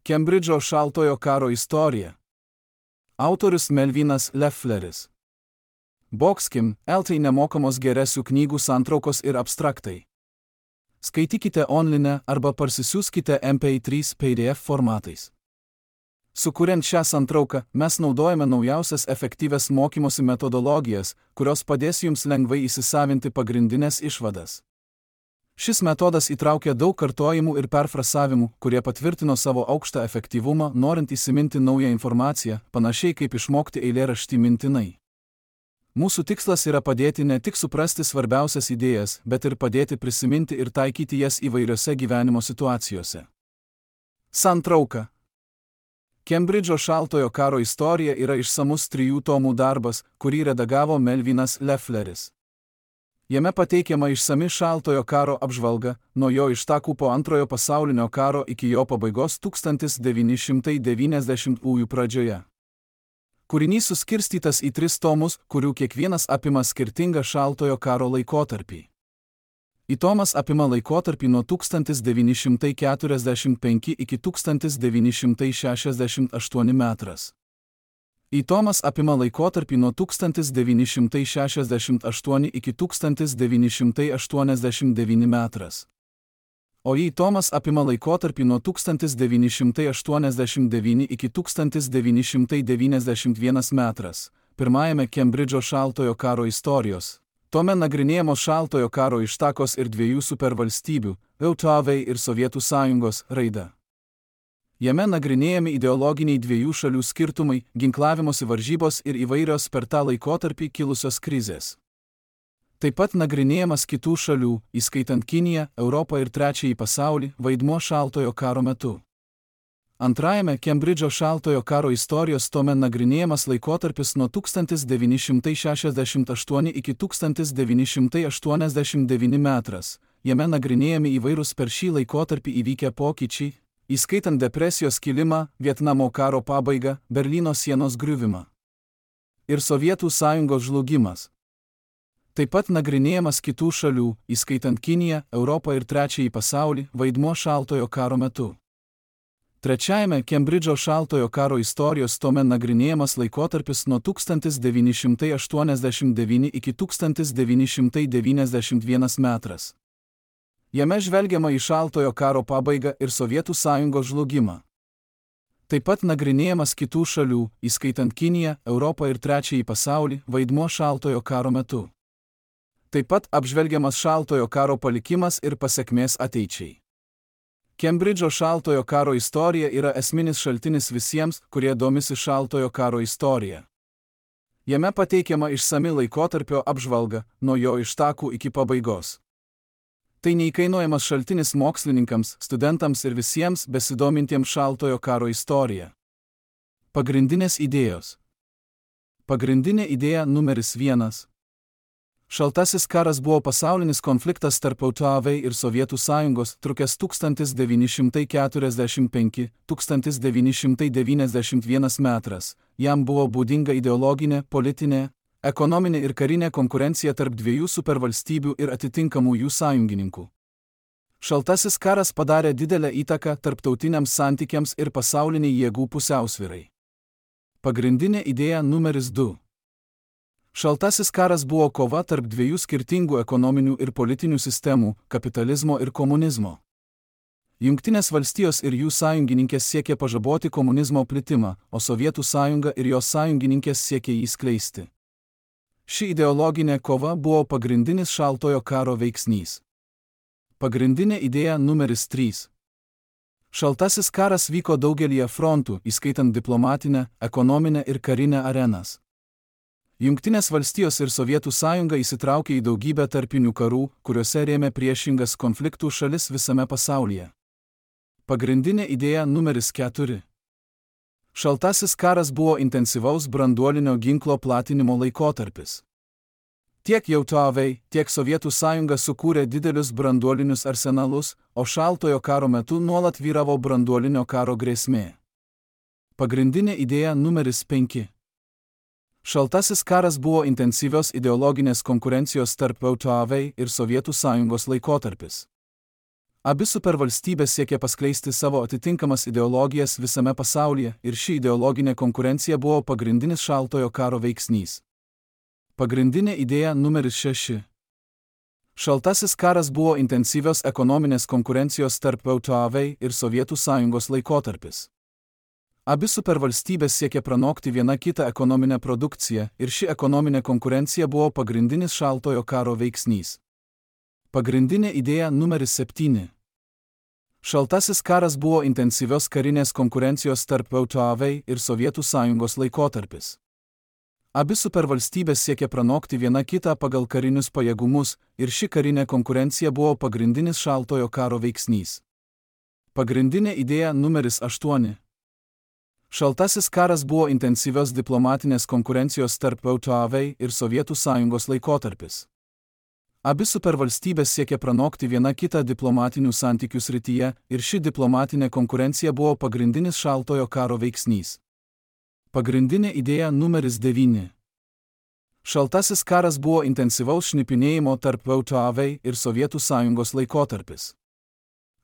Kembridžo šaltojo karo istorija. Autorius Melvinas Leffleris. Boxkim, LT nemokamos geresių knygų santraukos ir abstraktai. Skaitykite online arba parsisiųskite MP3 PDF formatais. Sukuriant šią santrauką, mes naudojame naujausias efektyvias mokymosi metodologijas, kurios padės jums lengvai įsisavinti pagrindinės išvadas. Šis metodas įtraukia daug kartojimų ir perfrasavimų, kurie patvirtino savo aukštą efektyvumą, norint įsiminti naują informaciją, panašiai kaip išmokti eilėraštį mintinai. Mūsų tikslas yra padėti ne tik suprasti svarbiausias idėjas, bet ir padėti prisiminti ir taikyti jas įvairiose gyvenimo situacijose. Santrauka. Kembridžo šaltojo karo istorija yra išsamus 3 tomų darbas, kurį redagavo Melvinas Leffleris. Jame pateikiama išsami šaltojo karo apžvalga, nuo jo ištakų po Antrojo pasaulinio karo iki jo pabaigos 1990-ųjų pradžioje. Kūrinys suskirstytas į 3 tomus, kurių kiekvienas apima skirtingą šaltojo karo laikotarpį. Tomas apima laikotarpį nuo 1945 iki 1968 metras. Tomas apima laikotarpį nuo 1968 iki 1989 metras. O Tomas apima laikotarpį nuo 1989 iki 1991 metras. Pirmajame Kembridžo šaltojo karo istorijos tome nagrinėjamos šaltojo karo ištakos ir 2 supervalstybių – JAV ir Sovietų Sąjungos – raida. Jame nagrinėjami ideologiniai 2 šalių skirtumai, ginklavimosi varžybos ir įvairios per tą laikotarpį kilusios krizės. Taip pat nagrinėjamas kitų šalių, įskaitant Kiniją, Europą ir Trečiąjį pasaulį, vaidmuo šaltojo karo metu. Antrajame Kembridžo šaltojo karo istorijos tome nagrinėjamas laikotarpis nuo 1968 iki 1989 metras. Jame nagrinėjami įvairūs per šį laikotarpį įvykę pokyčiai, įskaitant depresijos kilimą, Vietnamo karo pabaigą, Berlyno sienos griuvimą ir Sovietų Sąjungos žlugimas. Taip pat nagrinėjamas kitų šalių, įskaitant Kiniją, Europą ir Trečiąjį pasaulį, vaidmuo šaltojo karo metu. Trečiajame Kembridžo šaltojo karo istorijos tome nagrinėjamas laikotarpis nuo 1989 iki 1991 metras. Jame žvelgiama į šaltojo karo pabaigą ir Sovietų Sąjungos žlugimą. Taip pat nagrinėjamas kitų šalių, įskaitant Kiniją, Europą ir Trečiąjį pasaulį, vaidmuo šaltojo karo metu. Taip pat apžvelgiamas šaltojo karo palikimas ir pasekmės ateičiai. Kembridžo šaltojo karo istorija yra esminis šaltinis visiems, kurie domisi šaltojo karo istorija. Jame pateikiama išsami laikotarpio apžvalga, nuo jo ištakų iki pabaigos. Tai neįkainojamas šaltinis mokslininkams, studentams ir visiems besidomintiems šaltojo karo istorija. Pagrindinės idėjos. Pagrindinė idėja numeris 1. Šaltasis karas buvo pasaulinis konfliktas tarp JAV ir Sovietų Sąjungos, trukęs 1945–1991 metras. Jam buvo būdinga ideologinė, politinė, ekonominė ir karinė konkurencija tarp 2 supervalstybių ir atitinkamų jų sąjungininkų. Šaltasis karas padarė didelę įtaką tarptautiniams santykiams ir pasauliniai jėgų pusiausvyrai. Pagrindinė idėja numeris 2. Šaltasis karas buvo kova tarp 2 skirtingų ekonominių ir politinių sistemų – kapitalizmo ir komunizmo. Jungtinės valstijos ir jų sąjungininkės siekė pažaboti komunizmo plitimą, o Sovietų Sąjunga ir jos sąjungininkės siekė jį skleisti. Ši ideologinė kova buvo pagrindinis šaltojo karo veiksnys. Pagrindinė idėja numeris 3. Šaltasis karas vyko daugelyje frontų, įskaitant diplomatinę, ekonominę ir karinę arenas. Jungtinės valstijos ir Sovietų Sąjunga įsitraukė į daugybę tarpinių karų, kuriuose rėmė priešingas konfliktų šalis visame pasaulyje. Pagrindinė idėja numeris 4. Šaltasis karas buvo intensyvaus branduolinio ginklo platinimo laikotarpis. Tiek JAV, tiek Sovietų Sąjunga sukūrė didelius branduolinius arsenalus, o šaltojo karo metu nuolat vyravo branduolinio karo grėsmė. Pagrindinė idėja numeris 5. Šaltasis karas buvo intensyvios ideologinės konkurencijos tarp JAV ir Sovietų Sąjungos laikotarpis. Abi supervalstybės siekė paskleisti savo atitinkamas ideologijas visame pasaulyje ir ši ideologinė konkurencija buvo pagrindinis šaltojo karo veiksnys. Pagrindinė idėja numeris 6. Šaltasis karas buvo intensyvios ekonominės konkurencijos tarp JAV ir Sovietų Sąjungos laikotarpis. Abi supervalstybės siekė pranokti viena kitą ekonominę produkciją ir ši ekonominė konkurencija buvo pagrindinis šaltojo karo veiksnys. Pagrindinė idėja numeris 7. Šaltasis karas buvo intensyvios karinės konkurencijos tarp JAV ir Sovietų Sąjungos laikotarpis. Abi supervalstybės siekė pranokti viena kitą pagal karinius pajėgumus ir ši karinė konkurencija buvo pagrindinis šaltojo karo veiksnys. Pagrindinė idėja numeris 8. Šaltasis karas buvo intensyvios diplomatinės konkurencijos tarp JAV ir Sovietų Sąjungos laikotarpis. Abi supervalstybės siekė pranokti viena kitą diplomatinių santykių srityje ir ši diplomatinė konkurencija buvo pagrindinis šaltojo karo veiksnys. Pagrindinė idėja numeris 9. Šaltasis karas buvo intensyvaus šnipinėjimo tarp JAV ir Sovietų Sąjungos laikotarpis.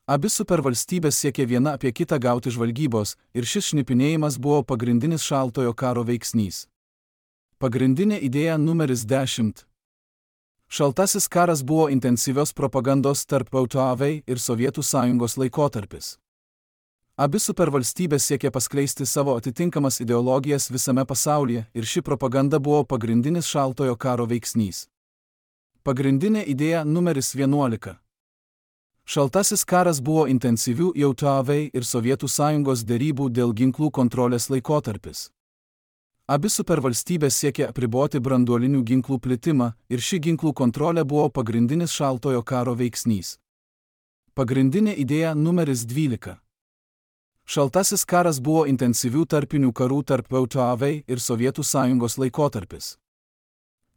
Abi supervalstybės siekė viena apie kitą gauti žvalgybos ir šis šnipinėjimas buvo pagrindinis šaltojo karo veiksnys. Pagrindinė idėja numeris 10. Šaltasis karas buvo intensyvios propagandos tarp JAV ir Sovietų Sąjungos laikotarpis. Abi supervalstybės siekė paskleisti savo atitinkamas ideologijas visame pasaulyje ir ši propaganda buvo pagrindinis šaltojo karo veiksnys. Pagrindinė idėja numeris 11. Šaltasis karas buvo intensyvių JAV ir Sovietų Sąjungos derybų dėl ginklų kontrolės laikotarpis. Abi supervalstybės siekė apriboti branduolinių ginklų plitimą ir ši ginklų kontrolė buvo pagrindinis šaltojo karo veiksnys. Pagrindinė idėja numeris 12. Šaltasis karas buvo intensyvių tarpinių karų tarp JAV ir Sovietų Sąjungos laikotarpis.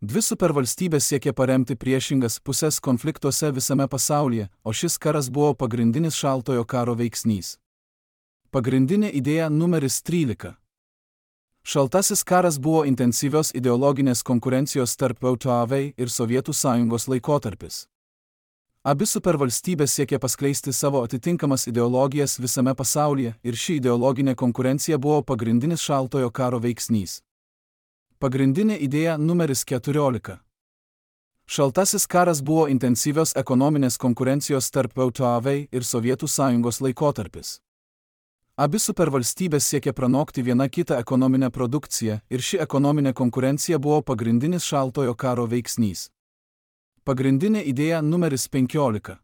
Dvi supervalstybės siekė paremti priešingas pusės konfliktuose visame pasaulyje, o šis karas buvo pagrindinis šaltojo karo veiksnys. Pagrindinė idėja numeris 13. Šaltasis karas buvo intensyvios ideologinės konkurencijos tarp JAV ir Sovietų Sąjungos laikotarpis. Abi supervalstybės siekė paskleisti savo atitinkamas ideologijas visame pasaulyje ir ši ideologinė konkurencija buvo pagrindinis šaltojo karo veiksnys. Pagrindinė idėja numeris 14. Šaltasis karas buvo intensyvios ekonominės konkurencijos tarp JAV ir Sovietų Sąjungos laikotarpis. Abi supervalstybės siekė pranokti viena kitą ekonominę produkciją ir ši ekonominė konkurencija buvo pagrindinis šaltojo karo veiksnys. Pagrindinė idėja numeris 15.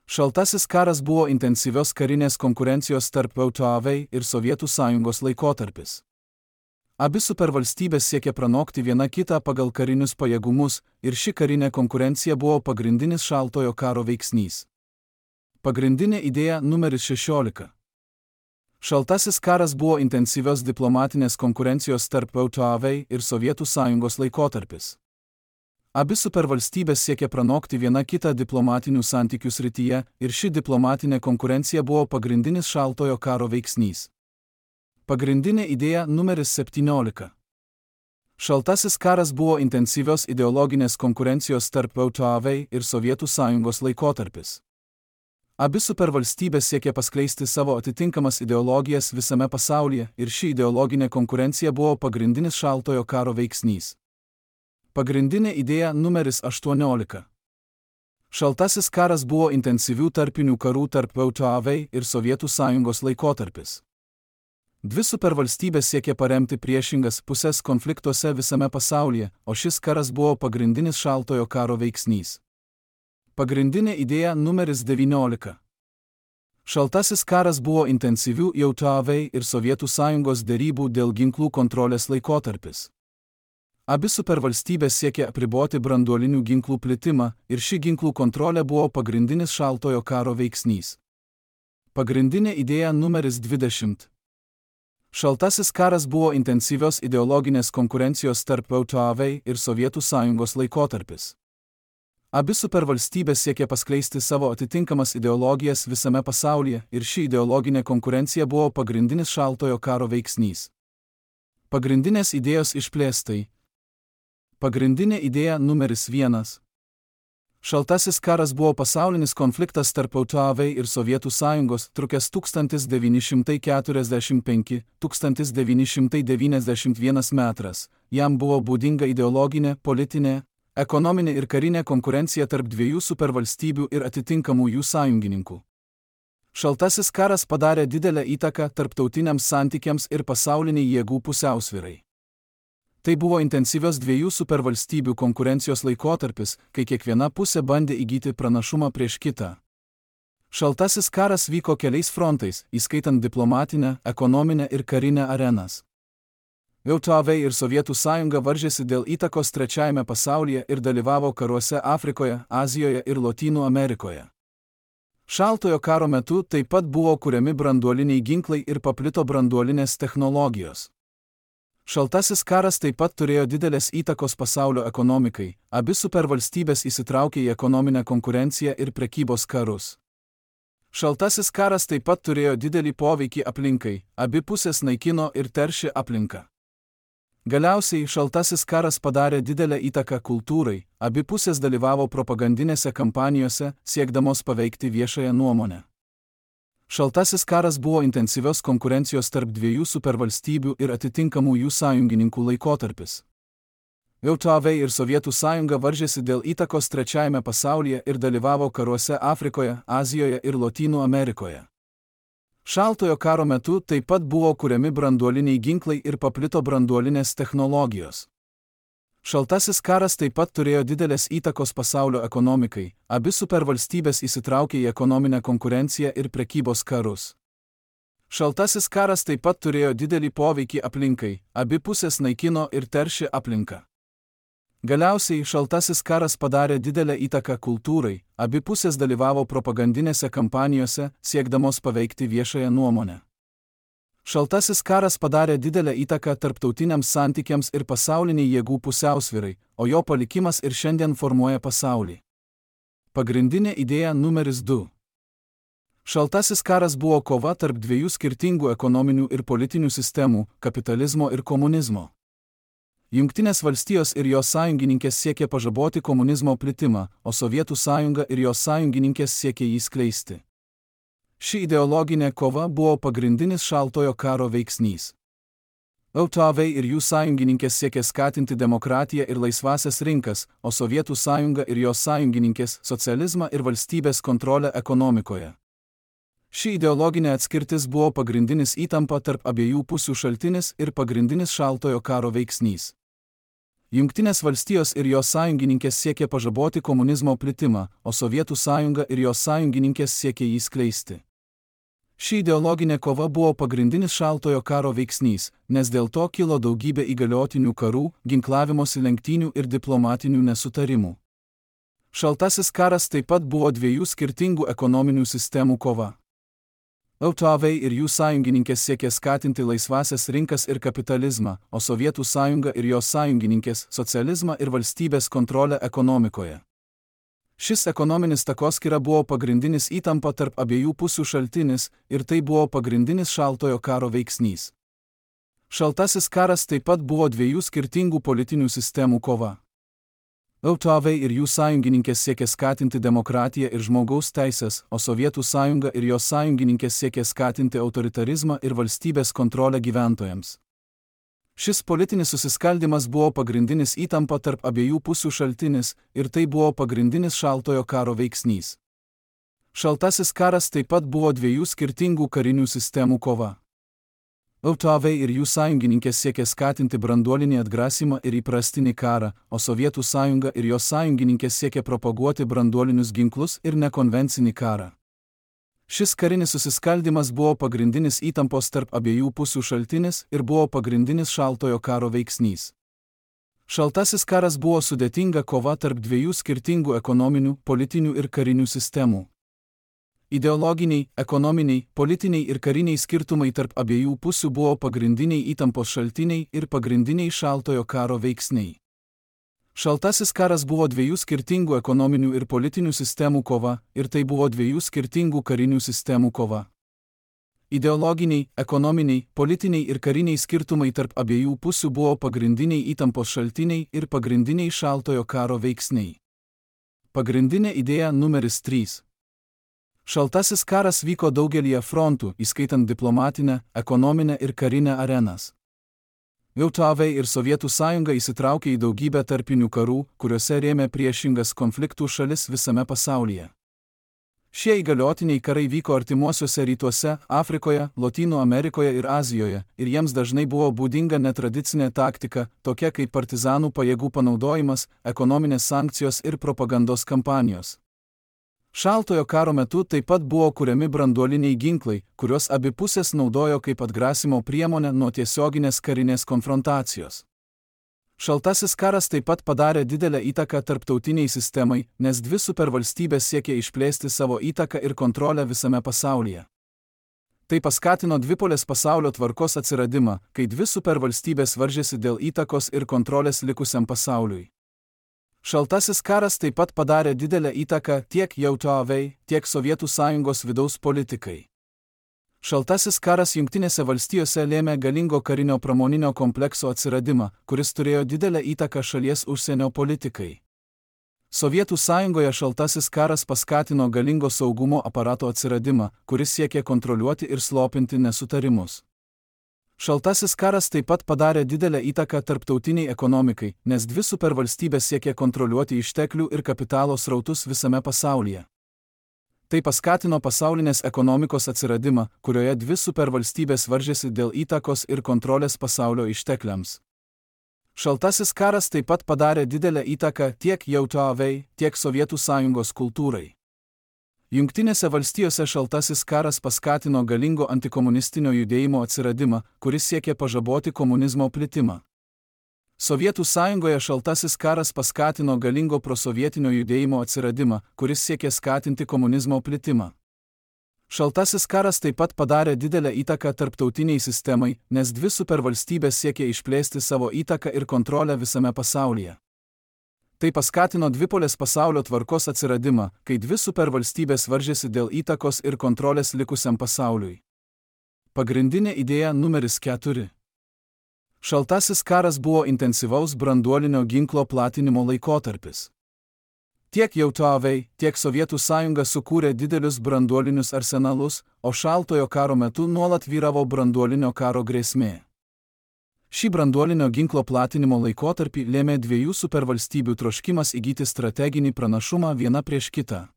Šaltasis karas buvo intensyvios karinės konkurencijos tarp JAV ir Sovietų Sąjungos laikotarpis. Abi supervalstybės siekė pranokti viena kitą pagal karinius pajėgumus ir ši karinė konkurencija buvo pagrindinis šaltojo karo veiksnys. Pagrindinė idėja numeris 16. Šaltasis karas buvo intensyvios diplomatinės konkurencijos tarp JAV ir Sovietų Sąjungos laikotarpis. Abi supervalstybės siekė pranokti viena kitą diplomatinių santykių srityje ir ši diplomatinė konkurencija buvo pagrindinis šaltojo karo veiksnys. Pagrindinė idėja numeris 17. Šaltasis karas buvo intensyvios ideologinės konkurencijos tarp JAV ir Sovietų Sąjungos laikotarpis. Abi supervalstybės siekė paskleisti savo atitinkamas ideologijas visame pasaulyje ir ši ideologinė konkurencija buvo pagrindinis šaltojo karo veiksnys. Pagrindinė idėja numeris 18. Šaltasis karas buvo intensyvių tarpinių karų tarp JAV ir Sovietų Sąjungos laikotarpis. Dvi supervalstybės siekė paremti priešingas pusės konfliktuose visame pasaulyje, o šis karas buvo pagrindinis šaltojo karo veiksnys. Pagrindinė idėja numeris 19. Šaltasis karas buvo intensyvių JAV ir Sovietų Sąjungos derybų dėl ginklų kontrolės laikotarpis. Abi supervalstybės siekė apriboti branduolinių ginklų plitimą ir ši ginklų kontrolė buvo pagrindinis šaltojo karo veiksnys. Pagrindinė idėja numeris 20. Šaltasis karas buvo intensyvios ideologinės konkurencijos tarp JAV ir Sovietų Sąjungos laikotarpis. Abi supervalstybės siekė paskleisti savo atitinkamas ideologijas visame pasaulyje ir ši ideologinė konkurencija buvo pagrindinis šaltojo karo veiksnys. Pagrindinės idėjos išplėstai. Pagrindinė idėja numeris 1. Šaltasis karas buvo pasaulinis konfliktas tarp JAV ir Sovietų sąjungos, trukęs 1945–1991 metras. Jam buvo būdinga ideologinė, politinė, ekonominė ir karinė konkurencija tarp dviejų supervalstybių ir atitinkamų jų sąjungininkų. Šaltasis karas padarė didelę įtaką tarptautiniams santykiams ir pasauliniai jėgų pusiausvyrai. Tai buvo intensyvios dviejų supervalstybių konkurencijos laikotarpis, kai kiekviena pusė bandė įgyti pranašumą prieš kitą. Šaltasis karas vyko keliais frontais, įskaitant diplomatinę, ekonominę ir karinę arenas. JAV ir Sovietų sąjunga varžėsi dėl įtakos trečiajame pasaulyje ir dalyvavo karuose Afrikoje, Azijoje ir Lotynų Amerikoje. Šaltojo karo metu taip pat buvo kuriami branduoliniai ginklai ir paplito branduolinės technologijos. Šaltasis karas taip pat turėjo didelės įtakos pasaulio ekonomikai, abi supervalstybės įsitraukė į ekonominę konkurenciją ir prekybos karus. Šaltasis karas taip pat turėjo didelį poveikį aplinkai, abi pusės naikino ir teršė aplinką. Galiausiai šaltasis karas padarė didelę įtaką kultūrai, abi pusės dalyvavo propagandinėse kampanijose, siekdamos paveikti viešąją nuomonę. Šaltasis karas buvo intensyvios konkurencijos tarp dviejų supervalstybių ir atitinkamų jų sąjungininkų laikotarpis. JAV ir Sovietų sąjunga varžėsi dėl įtakos trečiajame pasaulyje ir dalyvavo karuose Afrikoje, Azijoje ir Lotynų Amerikoje. Šaltojo karo metu taip pat buvo kuriami branduoliniai ginklai ir paplito branduolinės technologijos. Šaltasis karas taip pat turėjo didelės įtakos pasaulio ekonomikai, abi supervalstybės įsitraukė į ekonominę konkurenciją ir prekybos karus. Šaltasis karas taip pat turėjo didelį poveikį aplinkai, abi pusės naikino ir teršė aplinką. Galiausiai šaltasis karas padarė didelę įtaką kultūrai, abi pusės dalyvavo propagandinėse kampanijose, siekdamos paveikti viešąją nuomonę. Šaltasis karas padarė didelę įtaką tarptautiniams santykiams ir pasauliniai jėgų pusiausvyrai, o jo palikimas ir šiandien formuoja pasaulį. Pagrindinė idėja numeris 2. Šaltasis karas buvo kova tarp dviejų skirtingų ekonominių ir politinių sistemų – kapitalizmo ir komunizmo. Jungtinės valstijos ir jos sąjungininkės siekė pažaboti komunizmo plitimą, o Sovietų sąjunga ir jos sąjungininkės siekė jį skleisti. Ši ideologinė kova buvo pagrindinis šaltojo karo veiksnys. JAV ir jų sąjungininkės siekė skatinti demokratiją ir laisvąsias rinkas, o Sovietų sąjunga ir jos sąjungininkės socializmą ir valstybės kontrolę ekonomikoje. Ši ideologinė atskirtis buvo pagrindinis įtampa tarp abiejų pusių šaltinis ir pagrindinis šaltojo karo veiksnys. Jungtinės valstijos ir jos sąjungininkės siekė pažaboti komunizmo plitimą, o Sovietų sąjunga ir jos sąjungininkės siekė jį skleisti. Ši ideologinė kova buvo pagrindinis šaltojo karo veiksnys, nes dėl to kilo daugybė įgaliotinių karų, ginklavimosi lenktynių ir diplomatinių nesutarimų. Šaltasis karas taip pat buvo dviejų skirtingų ekonominių sistemų kova. JAV ir jų sąjungininkės siekė skatinti laisvąsias rinkas ir kapitalizmą, o Sovietų sąjunga ir jos sąjungininkės socializmą ir valstybės kontrolę ekonomikoje. Šis ekonominis takoskyra buvo pagrindinis įtampa tarp abiejų pusių šaltinis ir tai buvo pagrindinis šaltojo karo veiksnys. Šaltasis karas taip pat buvo dviejų skirtingų politinių sistemų kova. JAV ir jų sąjungininkės siekė skatinti demokratiją ir žmogaus teisės, o Sovietų sąjunga ir jos sąjungininkės siekė skatinti autoritarizmą ir valstybės kontrolę gyventojams. Šis politinis susiskaldimas buvo pagrindinis įtampa tarp abiejų pusių šaltinis ir tai buvo pagrindinis šaltojo karo veiksnys. Šaltasis karas taip pat buvo dviejų skirtingų karinių sistemų kova. JAV ir jų sąjungininkės siekė skatinti branduolinį atgrasymą ir įprastinį karą, o Sovietų sąjunga ir jos sąjungininkės siekė propaguoti branduolinius ginklus ir nekonvencinį karą. Šis karinis susiskaldimas buvo pagrindinis įtampos tarp abiejų pusių šaltinis ir buvo pagrindinis šaltojo karo veiksnys. Šaltasis karas buvo sudėtinga kova tarp dviejų skirtingų ekonominių, politinių ir karinių sistemų. Ideologiniai, ekonominiai, politiniai ir kariniai skirtumai tarp abiejų pusių buvo pagrindiniai įtampos šaltiniai ir pagrindiniai šaltojo karo veiksniai. Šaltasis karas buvo dviejų skirtingų ekonominių ir politinių sistemų kova ir tai buvo dviejų skirtingų karinių sistemų kova. Ideologiniai, ekonominiai, politiniai ir kariniai skirtumai tarp abiejų pusių buvo pagrindiniai įtampos šaltiniai ir pagrindiniai šaltojo karo veiksniai. Pagrindinė idėja numeris 3. Šaltasis karas vyko daugelyje frontų, įskaitant diplomatinę, ekonominę ir karinę arenas. JAV ir Sovietų sąjunga įsitraukė į daugybę tarpinių karų, kuriuose rėmė priešingas konfliktų šalis visame pasaulyje. Šie įgaliotiniai karai vyko artimuosiuose rytuose, Afrikoje, Lotynų Amerikoje ir Azijoje, ir jiems dažnai buvo būdinga netradicinė taktika, tokia kaip partizanų pajėgų panaudojimas, ekonominės sankcijos ir propagandos kampanijos. Šaltojo karo metu taip pat buvo kuriami branduoliniai ginklai, kuriuos abi pusės naudojo kaip atgrasimo priemonę nuo tiesioginės karinės konfrontacijos. Šaltasis karas taip pat padarė didelę įtaką tarptautiniai sistemai, nes dvi supervalstybės siekė išplėsti savo įtaką ir kontrolę visame pasaulyje. Tai paskatino dvipolės pasaulio tvarkos atsiradimą, kai dvi supervalstybės varžėsi dėl įtakos ir kontrolės likusiam pasauliui. Šaltasis karas taip pat padarė didelę įtaką tiek JAV, tiek Sovietų sąjungos vidaus politikai. Šaltasis karas Jungtinėse valstijose lėmė galingo karinio pramoninio komplekso atsiradimą, kuris turėjo didelę įtaką šalies užsienio politikai. Sovietų sąjungoje šaltasis karas paskatino galingo saugumo aparato atsiradimą, kuris siekė kontroliuoti ir slopinti nesutarimus. Šaltasis karas taip pat padarė didelę įtaką tarptautiniai ekonomikai, nes dvi supervalstybės siekė kontroliuoti išteklių ir kapitalo srautus visame pasaulyje. Tai paskatino pasaulinės ekonomikos atsiradimą, kurioje dvi supervalstybės varžėsi dėl įtakos ir kontrolės pasaulio ištekliams. Šaltasis karas taip pat padarė didelę įtaką tiek JAV, tiek Sovietų sąjungos kultūrai. Jungtinėse valstijose šaltasis karas paskatino galingo antikomunistinio judėjimo atsiradimą, kuris siekė pažaboti komunizmo plitimą. Sovietų sąjungoje šaltasis karas paskatino galingo prosovietinio judėjimo atsiradimą, kuris siekė skatinti komunizmo plitimą. Šaltasis karas taip pat padarė didelę įtaką tarptautiniai sistemai, nes dvi supervalstybės siekė išplėsti savo įtaką ir kontrolę visame pasaulyje. Tai paskatino dvipolės pasaulio tvarkos atsiradimą, kai dvi supervalstybės varžėsi dėl įtakos ir kontrolės likusiam pasauliui. Pagrindinė idėja numeris 4. Šaltasis karas buvo intensyvaus branduolinio ginklo platinimo laikotarpis. Tiek JAV, tiek Sovietų sąjunga sukūrė didelius branduolinius arsenalus, o šaltojo karo metu nuolat vyravo branduolinio karo grėsmė. Šį branduolinio ginklo platinimo laikotarpį lėmė dviejų supervalstybių troškimas įgyti strateginį pranašumą viena prieš kitą.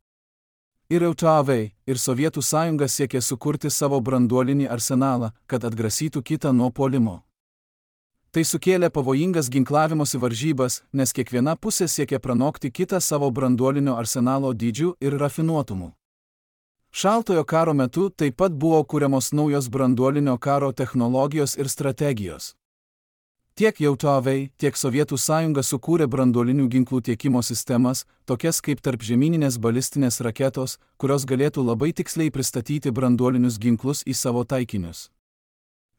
Ir JAV, ir Sovietų sąjunga siekė sukurti savo branduolinį arsenalą, kad atgrasytų kitą nuo puolimo. Tai sukėlė pavojingas ginklavimosi varžybas, nes kiekviena pusė siekė pranokti kitą savo branduolinio arsenalo dydžiu ir rafinuotumu. Šaltojo karo metu taip pat buvo kuriamos naujos branduolinio karo technologijos ir strategijos. Tiek JAV, tiek Sovietų sąjunga sukūrė branduolinių ginklų tiekimo sistemas, tokias kaip tarpžemyninės balistinės raketos, kurios galėtų labai tiksliai pristatyti branduolinius ginklus į savo taikinius.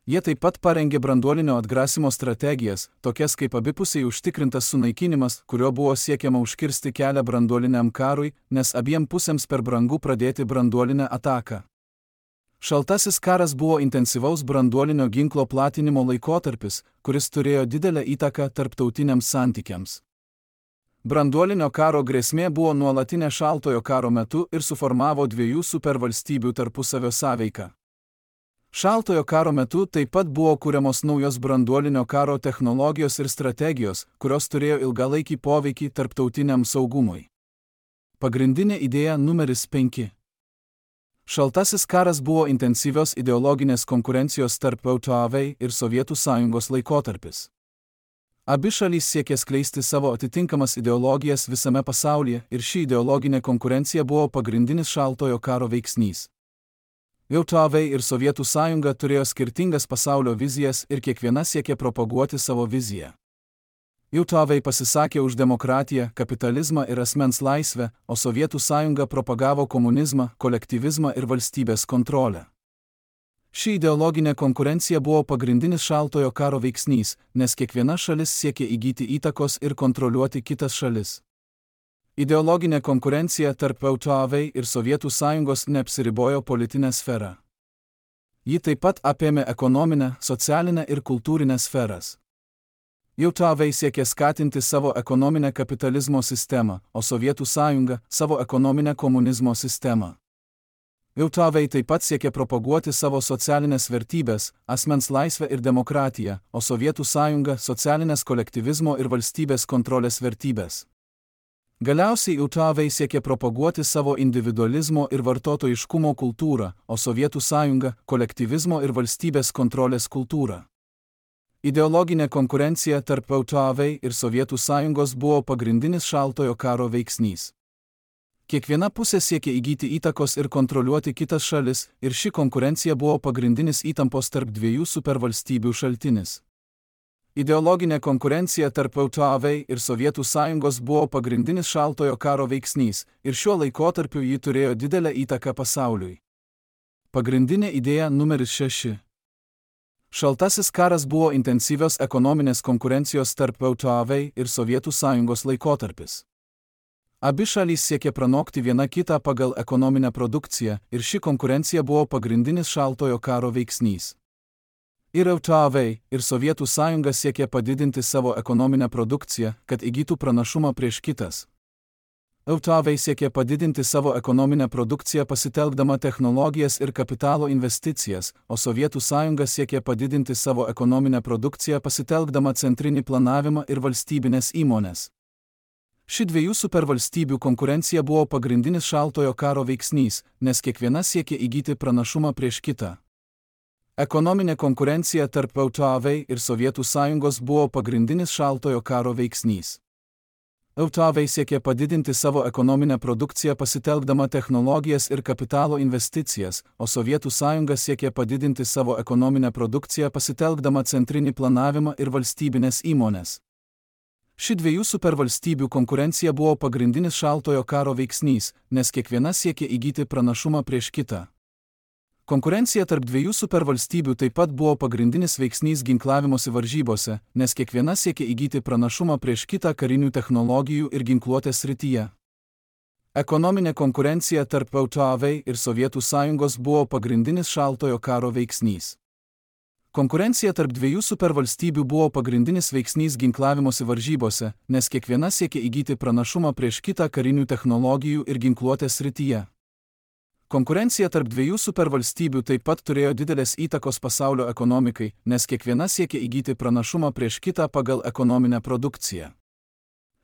Jie taip pat parengė branduolinio atgrasimo strategijas, tokias kaip abipusiai užtikrintas sunaikinimas, kurio buvo siekiama užkirsti kelią branduoliniam karui, nes abiem pusėms per brangu pradėti branduolinę ataką. Šaltasis karas buvo intensyvaus branduolinio ginklo platinimo laikotarpis, kuris turėjo didelę įtaką tarptautiniams santykiams. Branduolinio karo grėsmė buvo nuolatinė šaltojo karo metu ir suformavo dviejų supervalstybių tarpusavio sąveiką. Šaltojo karo metu taip pat buvo kuriamos naujos branduolinio karo technologijos ir strategijos, kurios turėjo ilgalaikį poveikį tarptautiniam saugumui. Pagrindinė idėja numeris 5. Šaltasis karas buvo intensyvios ideologinės konkurencijos tarp JAV ir Sovietų sąjungos laikotarpis. Abi šalys siekė skleisti savo atitinkamas ideologijas visame pasaulyje ir ši ideologinė konkurencija buvo pagrindinis šaltojo karo veiksnys. JAV ir Sovietų sąjunga turėjo skirtingas pasaulio vizijas ir kiekviena siekė propaguoti savo viziją. JAV pasisakė už demokratiją, kapitalizmą ir asmens laisvę, o Sovietų sąjunga propagavo komunizmą, kolektyvizmą ir valstybės kontrolę. Ši ideologinė konkurencija buvo pagrindinis šaltojo karo veiksnys, nes kiekviena šalis siekė įgyti įtakos ir kontroliuoti kitas šalis. Ideologinė konkurencija tarp JAV ir Sovietų sąjungos neapsiribojo politinę sferą. Ji taip pat apėmė ekonominę, socialinę ir kultūrinę sferas. JAV siekė skatinti savo ekonominę kapitalizmo sistemą, o Sovietų sąjunga savo ekonominę komunizmo sistemą. JAV taip pat siekė propaguoti savo socialinės vertybės, asmens laisvę ir demokratiją, o Sovietų sąjunga socialinės kolektyvizmo ir valstybės kontrolės vertybės. Galiausiai JAV siekė propaguoti savo individualizmo ir vartotojiškumo kultūrą, o Sovietų sąjunga kolektyvizmo ir valstybės kontrolės kultūrą. Ideologinė konkurencija tarp JAV ir Sovietų sąjungos buvo pagrindinis šaltojo karo veiksnys. Kiekviena pusė siekė įgyti įtakos ir kontroliuoti kitas šalis, ir ši konkurencija buvo pagrindinis įtampos tarp dviejų supervalstybių šaltinis. Ideologinė konkurencija tarp JAV ir Sovietų sąjungos buvo pagrindinis šaltojo karo veiksnys, ir šiuo laikotarpiu ji turėjo didelę įtaką pasauliui. Pagrindinė idėja numeris 6. Šaltasis karas buvo intensyvios ekonominės konkurencijos tarp JAV ir Sovietų sąjungos laikotarpis. Abi šalys siekė pranokti viena kitą pagal ekonominę produkciją, ir ši konkurencija buvo pagrindinis šaltojo karo veiksnys. Ir JAV, ir Sovietų sąjunga siekė padidinti savo ekonominę produkciją, kad įgytų pranašumą prieš kitas. JAV siekė padidinti savo ekonominę produkciją pasitelkdama technologijas ir kapitalo investicijas, o Sovietų sąjunga siekė padidinti savo ekonominę produkciją pasitelkdama centrinį planavimą ir valstybinės įmonės. Ši dviejų supervalstybių konkurencija buvo pagrindinis šaltojo karo veiksnys, nes kiekviena siekė įgyti pranašumą prieš kitą. Ekonominė konkurencija tarp JAV ir Sovietų sąjungos buvo pagrindinis šaltojo karo veiksnys. JAV siekė padidinti savo ekonominę produkciją pasitelkdama technologijas ir kapitalo investicijas, o Sovietų sąjunga siekė padidinti savo ekonominę produkciją pasitelkdama centrinį planavimą ir valstybinės įmonės. Ši dviejų supervalstybių konkurencija buvo pagrindinis šaltojo karo veiksnys, nes kiekviena siekė įgyti pranašumą prieš kitą. Konkurencija tarp dviejų supervalstybių taip pat buvo pagrindinis veiksnys ginklavimosi varžybose, nes kiekviena siekė įgyti pranašumą prieš kitą karinių technologijų ir ginkluotės srityje. Ekonominė konkurencija tarp JAV ir Sovietų sąjungos buvo pagrindinis šaltojo karo veiksnys. Konkurencija tarp dviejų supervalstybių buvo pagrindinis veiksnys ginklavimosi varžybose, nes kiekviena siekė įgyti pranašumą prieš kitą karinių technologijų ir ginkluotės srityje. Konkurencija tarp dviejų supervalstybių taip pat turėjo didelės įtakos pasaulio ekonomikai, nes kiekviena siekė įgyti pranašumą prieš kitą pagal ekonominę produkciją.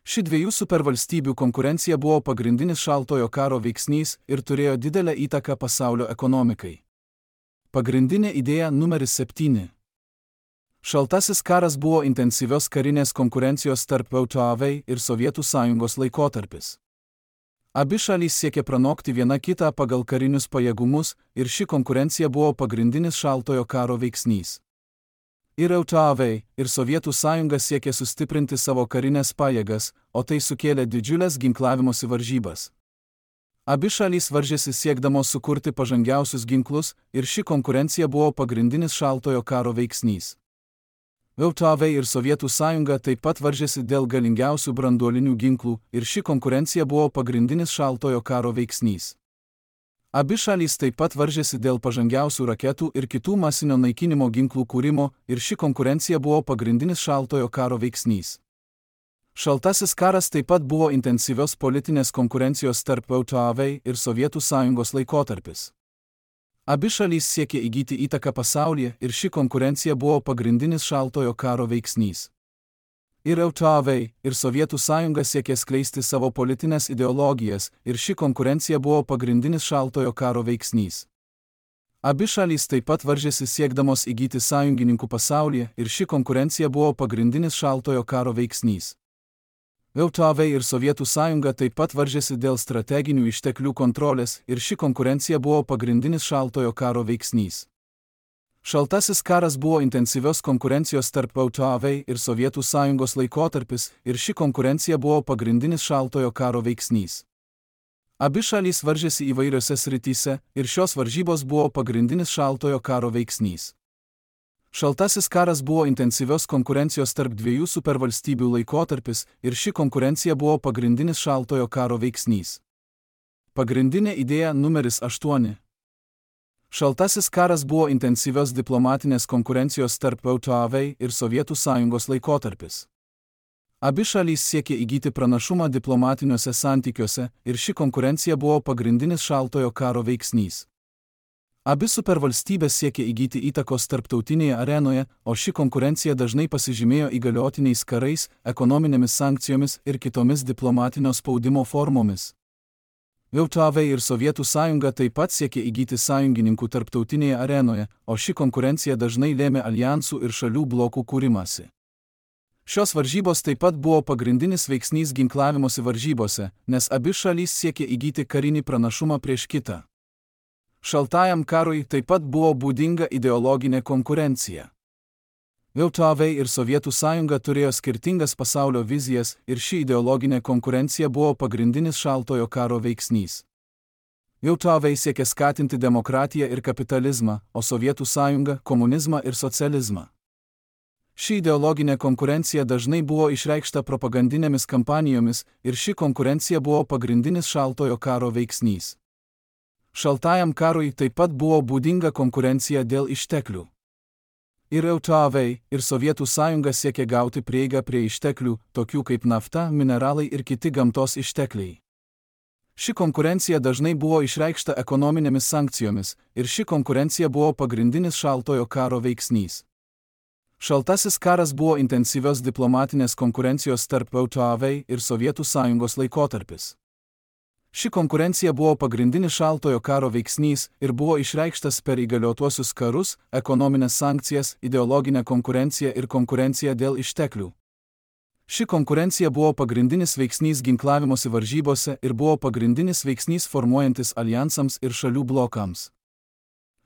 Ši dviejų supervalstybių konkurencija buvo pagrindinis šaltojo karo veiksnys ir turėjo didelę įtaką pasaulio ekonomikai. Pagrindinė idėja numeris 7. Šaltasis karas buvo intensyvios karinės konkurencijos tarp JAV ir Sovietų sąjungos laikotarpis. Abi šalys siekė pranokti viena kitą pagal karinius pajėgumus, ir ši konkurencija buvo pagrindinis šaltojo karo veiksnys. Ir JAV, ir Sovietų sąjunga siekė sustiprinti savo karinės pajėgas, o tai sukėlė didžiulės ginklavimosi varžybas. Abi šalys varžėsi siekdamos sukurti pažangiausius ginklus, ir ši konkurencija buvo pagrindinis šaltojo karo veiksnys. JAV ir Sovietų sąjunga taip pat varžėsi dėl galingiausių branduolinių ginklų, ir ši konkurencija buvo pagrindinis šaltojo karo veiksnys. Abi šalys taip pat varžėsi dėl pažangiausių raketų ir kitų masinio naikinimo ginklų kūrimo, ir ši konkurencija buvo pagrindinis šaltojo karo veiksnys. Šaltasis karas taip pat buvo intensyvios politinės konkurencijos tarp JAV ir Sovietų sąjungos laikotarpis. Abi šalys siekė įgyti įtaką pasaulyje, ir ši konkurencija buvo pagrindinis šaltojo karo veiksnys. Ir JAV, ir Sovietų sąjunga siekė skleisti savo politinės ideologijas, ir ši konkurencija buvo pagrindinis šaltojo karo veiksnys. Abi šalys taip pat varžėsi siekdamos įgyti sąjungininkų pasaulyje, ir ši konkurencija buvo pagrindinis šaltojo karo veiksnys. JAV ir Sovietų sąjunga taip pat varžėsi dėl strateginių išteklių kontrolės, ir ši konkurencija buvo pagrindinis šaltojo karo veiksnys. Šaltasis karas buvo intensyvios konkurencijos tarp JAV ir Sovietų sąjungos laikotarpis, ir ši konkurencija buvo pagrindinis šaltojo karo veiksnys. Abi šalys varžėsi įvairiose srityse, ir šios varžybos buvo pagrindinis šaltojo karo veiksnys. Šaltasis karas buvo intensyvios konkurencijos tarp dviejų supervalstybių laikotarpis, ir ši konkurencija buvo pagrindinis šaltojo karo veiksnys. Pagrindinė idėja numeris 8. Šaltasis karas buvo intensyvios diplomatinės konkurencijos tarp JAV ir Sovietų Sąjungos laikotarpis. Abi šalys siekė įgyti pranašumą diplomatiniuose santykiuose ir ši konkurencija buvo pagrindinis šaltojo karo veiksnys. Abi supervalstybės siekė įgyti įtakos tarptautinėje arenoje, o ši konkurencija dažnai pasižymėjo įgaliotiniais karais, ekonominėmis sankcijomis ir kitomis diplomatinio spaudimo formomis. JAV ir Sovietų Sąjunga taip pat siekė įgyti sąjungininkų tarptautinėje arenoje, o ši konkurencija dažnai lėmė aljansų ir šalių blokų kūrimąsi. Šios varžybos taip pat buvo pagrindinis veiksnys ginklavimosi varžybose, nes abi šalys siekė įgyti karinį pranašumą prieš kitą. Šaltajam karui taip pat buvo būdinga ideologinė konkurencija. JAV ir Sovietų Sąjunga turėjo skirtingas pasaulio vizijas ir ši ideologinė konkurencija buvo pagrindinis šaltojo karo veiksnys. JAV siekė skatinti demokratiją ir kapitalizmą, o Sovietų Sąjunga – komunizmą ir socializmą. Ši ideologinė konkurencija dažnai buvo išreikšta propagandinėmis kampanijomis ir ši konkurencija buvo pagrindinis šaltojo karo veiksnys. Šaltajam karui taip pat buvo būdinga konkurencija dėl išteklių. Ir JAV, ir Sovietų Sąjunga siekė gauti prieigą prie išteklių, tokių kaip nafta, mineralai ir kiti gamtos ištekliai. Ši konkurencija dažnai buvo išreikšta ekonominėmis sankcijomis, ir ši konkurencija buvo pagrindinis šaltojo karo veiksnys. Šaltasis karas buvo intensyvios diplomatinės konkurencijos tarp JAV ir Sovietų Sąjungos laikotarpis. Ši konkurencija buvo pagrindinis šaltojo karo veiksnys ir buvo išreikštas per įgaliotuosius karus, ekonominės sankcijas, ideologinę konkurenciją ir konkurenciją dėl išteklių. Ši konkurencija buvo pagrindinis veiksnys ginklavimosi varžybose ir buvo pagrindinis veiksnys formuojantis aljansams ir šalių blokams.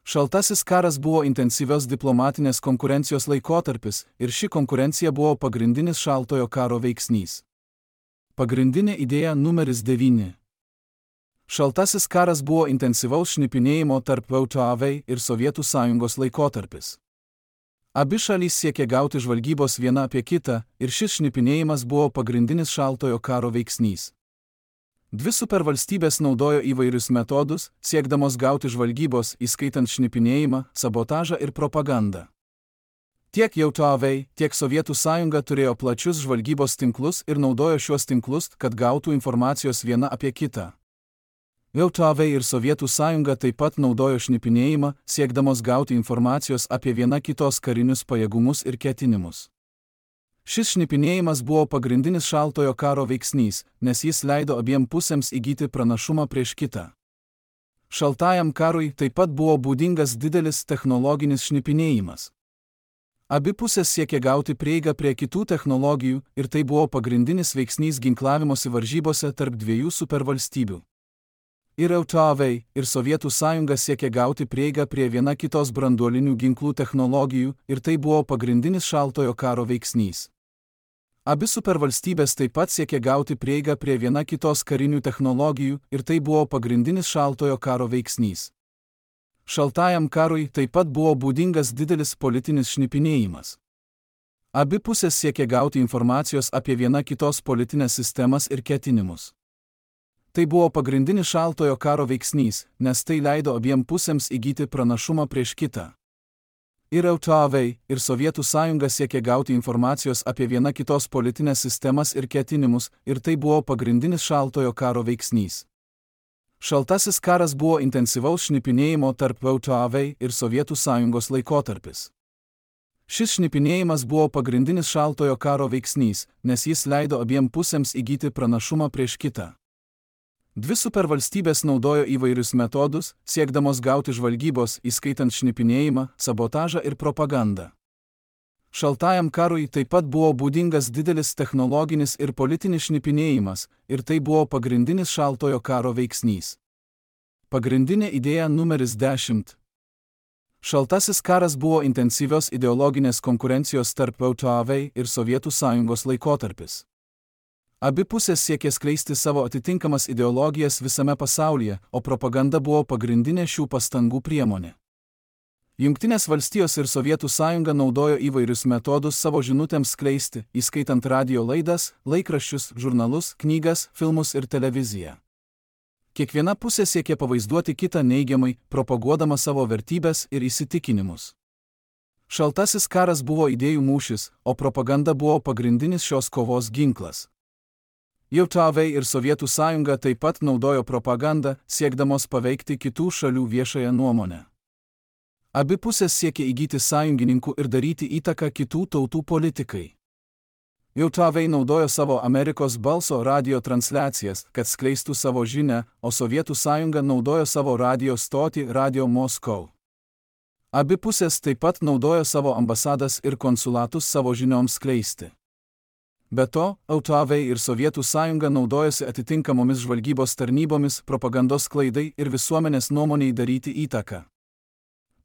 Šaltasis karas buvo intensyvios diplomatinės konkurencijos laikotarpis ir ši konkurencija buvo pagrindinis šaltojo karo veiksnys. Pagrindinė idėja numeris 9. Šaltasis karas buvo intensyvaus šnipinėjimo tarp JAV ir Sovietų Sąjungos laikotarpis. Abi šalys siekė gauti žvalgybos viena apie kitą ir šis šnipinėjimas buvo pagrindinis šaltojo karo veiksnys. Dvi supervalstybės naudojo įvairius metodus, siekdamos gauti žvalgybos, įskaitant šnipinėjimą, sabotažą ir propagandą. Tiek JAV, tiek Sovietų Sąjunga turėjo plačius žvalgybos tinklus ir naudojo šiuos tinklus, kad gautų informacijos viena apie kitą. JAV ir Sovietų Sąjunga taip pat naudojo šnipinėjimą, siekdamos gauti informacijos apie viena kitos karinius pajėgumus ir ketinimus. Šis šnipinėjimas buvo pagrindinis šaltojo karo veiksnys, nes jis leido abiem pusėms įgyti pranašumą prieš kitą. Šaltajam karui taip pat buvo būdingas didelis technologinis šnipinėjimas. Abi pusės siekė gauti prieigą prie kitų technologijų ir tai buvo pagrindinis veiksnys ginklavimosi varžybose tarp dviejų supervalstybių. Ir JAV, ir Sovietų Sąjunga siekė gauti prieigą prie viena kitos branduolinių ginklų technologijų ir tai buvo pagrindinis šaltojo karo veiksnys. Abi supervalstybės taip pat siekė gauti prieigą prie viena kitos karinių technologijų ir tai buvo pagrindinis šaltojo karo veiksnys. Šaltajam karui taip pat buvo būdingas didelis politinis šnipinėjimas. Abi pusės siekė gauti informacijos apie viena kitos politinės sistemas ir ketinimus. Tai buvo pagrindinis šaltojo karo veiksnys, nes tai leido abiem pusėms įgyti pranašumą prieš kitą. Ir JAV, ir Sovietų Sąjunga siekė gauti informacijos apie viena kitos politinės sistemas ir ketinimus, ir tai buvo pagrindinis šaltojo karo veiksnys. Šaltasis karas buvo intensyvaus šnipinėjimo tarp JAV ir Sovietų Sąjungos laikotarpis. Šis šnipinėjimas buvo pagrindinis šaltojo karo veiksnys, nes jis leido abiem pusėms įgyti pranašumą prieš kitą. Dvi supervalstybės naudojo įvairius metodus, siekdamos gauti žvalgybos, įskaitant šnipinėjimą, sabotažą ir propagandą. Šaltajam karui taip pat buvo būdingas didelis technologinis ir politinis šnipinėjimas, ir tai buvo pagrindinis šaltojo karo veiksnys. Pagrindinė idėja numeris 10. Šaltasis karas buvo intensyvios ideologinės konkurencijos tarp JAV ir Sovietų Sąjungos laikotarpis. Abi pusės siekė skleisti savo atitinkamas ideologijas visame pasaulyje, o propaganda buvo pagrindinė šių pastangų priemonė. Jungtinės valstijos ir Sovietų Sąjunga naudojo įvairius metodus savo žinutėms skleisti, įskaitant radijo laidas, laikraščius, žurnalus, knygas, filmus ir televiziją. Kiekviena pusė siekė pavaizduoti kitą neigiamai, propaguodama savo vertybės ir įsitikinimus. Šaltasis karas buvo idėjų mūšis, o propaganda buvo pagrindinis šios kovos ginklas. JAV ir Sovietų sąjunga taip pat naudojo propagandą, siekdamos paveikti kitų šalių viešąją nuomonę. Abi pusės siekė įgyti sąjungininkų ir daryti įtaką kitų tautų politikai. JAV naudojo savo Amerikos balso radio transliacijas, kad skleistų savo žinią, o Sovietų sąjunga naudojo savo radio stotį Radio Moscow. Abi pusės taip pat naudojo savo ambasadas ir konsulatus savo žinioms skleisti. Be to, JAV ir Sovietų sąjunga naudojosi atitinkamomis žvalgybos tarnybomis, propagandos klaidai ir visuomenės nuomoniai daryti įtaką.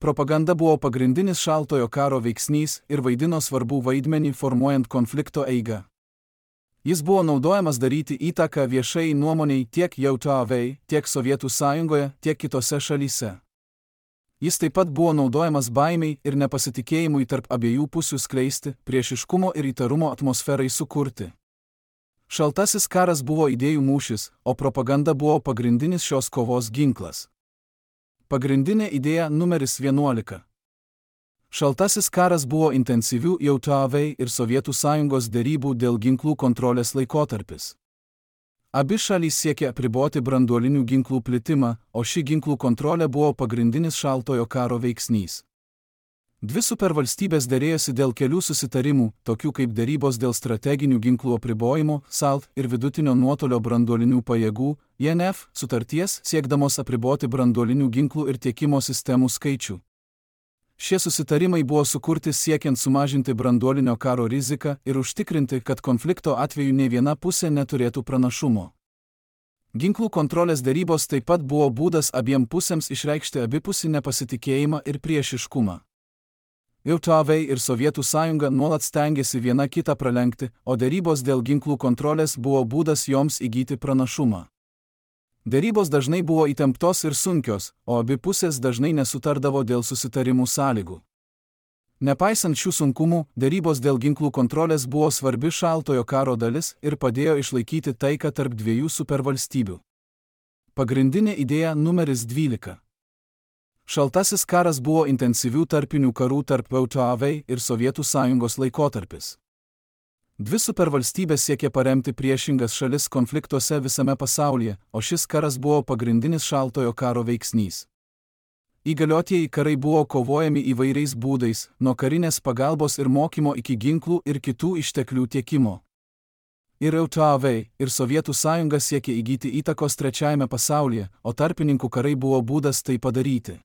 Propaganda buvo pagrindinis šaltojo karo veiksnys ir vaidino svarbų vaidmenį formuojant konflikto eigą. Jis buvo naudojamas daryti įtaką viešai nuomoniai tiek JAV, tiek Sovietų sąjungoje, tiek kitose šalyse. Jis taip pat buvo naudojamas baimiai ir nepasitikėjimui tarp abiejų pusių skleisti, priešiškumo ir įtarumo atmosferai sukurti. Šaltasis karas buvo idėjų mūšis, o propaganda buvo pagrindinis šios kovos ginklas. Pagrindinė idėja numeris 11. Šaltasis karas buvo intensyvių JAV ir Sovietų sąjungos derybų dėl ginklų kontrolės laikotarpis. Abi šalys siekė apriboti branduolinių ginklų plitimą, o ši ginklų kontrolė buvo pagrindinis šaltojo karo veiksnys. Dvi supervalstybės derėjosi dėl kelių susitarimų, tokių kaip derybos dėl strateginių ginklų apribojimo, SALT ir vidutinio nuotolio branduolinių pajėgų, INF, sutarties, siekdamos apriboti branduolinių ginklų ir tiekimo sistemų skaičių. Šie susitarimai buvo sukurti siekiant sumažinti branduolinio karo riziką ir užtikrinti, kad konflikto atveju nei viena pusė neturėtų pranašumo. Ginklų kontrolės derybos taip pat buvo būdas abiem pusėms išreikšti abipusį nepasitikėjimą ir priešiškumą. JAV ir Sovietų sąjunga nuolat stengiasi viena kitą pralenkti, o derybos dėl ginklų kontrolės buvo būdas joms įgyti pranašumą. Derybos dažnai buvo įtemptos ir sunkios, o abi pusės dažnai nesutardavo dėl susitarimų sąlygų. Nepaisant šių sunkumų, derybos dėl ginklų kontrolės buvo svarbi šaltojo karo dalis ir padėjo išlaikyti taiką tarp dviejų supervalstybių. Pagrindinė idėja numeris 12. Šaltasis karas buvo intensyvių tarpinių karų tarp JAV ir Sovietų sąjungos laikotarpis. Dvi supervalstybės siekė paremti priešingas šalis konfliktuose visame pasaulyje, o šis karas buvo pagrindinis šaltojo karo veiksnys. Įgaliotieji karai buvo kovojami įvairiais būdais, nuo karinės pagalbos ir mokymo iki ginklų ir kitų išteklių tiekimo. Ir JAV, ir Sovietų sąjunga siekė įgyti įtakos trečiajame pasaulyje, o tarpininkų karai buvo būdas tai padaryti.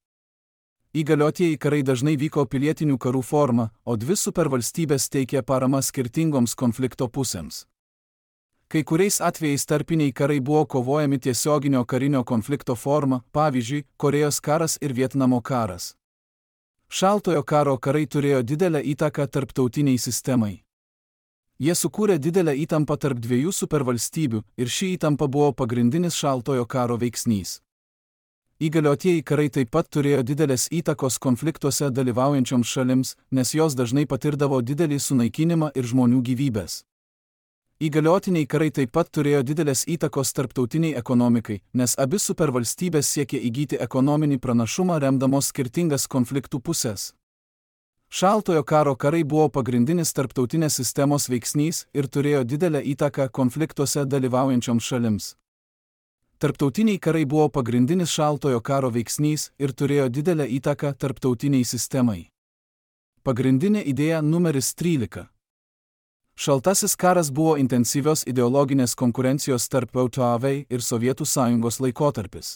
Įgaliotieji karai dažnai vyko pilietinių karų forma, o dvi supervalstybės teikė paramą skirtingoms konflikto pusėms. Kai kuriais atvejais tarpiniai karai buvo kovojami tiesioginio karinio konflikto forma, pavyzdžiui, Korėjos karas ir Vietnamo karas. Šaltojo karo karai turėjo didelę įtaką tarptautiniai sistemai. Jie sukūrė didelę įtampą tarp dviejų supervalstybių ir ši įtampa buvo pagrindinis šaltojo karo veiksnys. Įgaliotieji karai taip pat turėjo didelės įtakos konfliktuose dalyvaujančioms šalims, nes jos dažnai patirdavo didelį sunaikinimą ir žmonių gyvybės. Įgaliotiniai karai taip pat turėjo didelės įtakos tarptautiniai ekonomikai, nes abi supervalstybės siekė įgyti ekonominį pranašumą remdamos skirtingas konfliktų pusės. Šaltojo karo karai buvo pagrindinis tarptautinės sistemos veiksnys ir turėjo didelę įtaką konfliktuose dalyvaujančioms šalims. Tarptautiniai karai buvo pagrindinis šaltojo karo veiksnys ir turėjo didelę įtaką tarptautiniai sistemai. Pagrindinė idėja numeris 13. Šaltasis karas buvo intensyvios ideologinės konkurencijos tarp JAV ir Sovietų sąjungos laikotarpis.